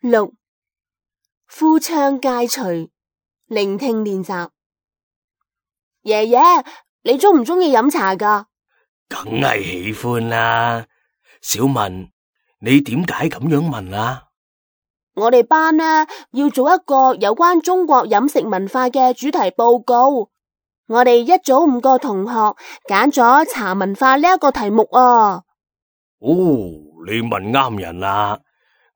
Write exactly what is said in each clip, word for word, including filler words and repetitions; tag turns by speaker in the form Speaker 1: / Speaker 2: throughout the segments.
Speaker 1: 六，夫唱皆隨，聆聽練習。爺爺，你鍾唔鍾意飲茶㗎？
Speaker 2: 梗係喜歡啦。小文，你點解咁樣問啊？
Speaker 1: 我哋班呢要做一個有關中國飲食文化嘅主題報告。我哋一組五個同學揀咗茶文化呢一個題目啊。
Speaker 2: 哦，你問啱人啦。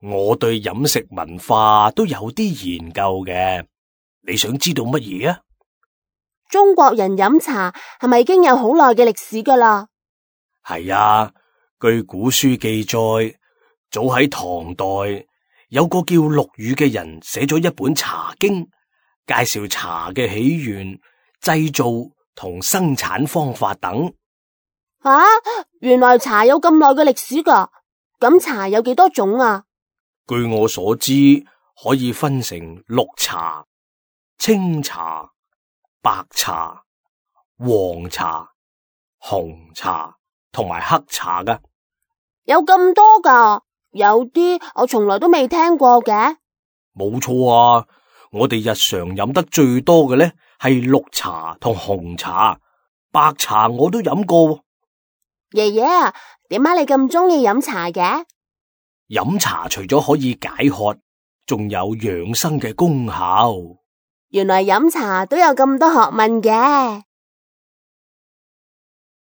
Speaker 2: 我對飲食文化都有啲研究嘅。你想知道乜嘢啊？
Speaker 1: 中國人飲茶係咪已經有好耐嘅歷史㗎啦？
Speaker 2: 係啊，據古書記載，早喺唐代有個叫陸羽嘅人寫咗一本茶經，介紹茶嘅起源、製造同生產方法等。
Speaker 1: 啊，原來茶有咁耐嘅歷史㗎？咁茶有幾多種啊？
Speaker 2: 據我所知，可以分成綠茶、青茶、白茶、黃茶、紅茶同埋黑茶噶。
Speaker 1: 有咁多噶？有啲我從來都未聽過嘅。
Speaker 2: 冇錯啊，我哋日常飲得最多嘅呢係綠茶同紅茶，白茶我都飲過。
Speaker 1: 爺爺啊，點解你咁鍾意飲茶嘅？
Speaker 2: 飲茶除咗可以解渴，仲有養生嘅功效。
Speaker 1: 原來飲茶都有咁多學問嘅。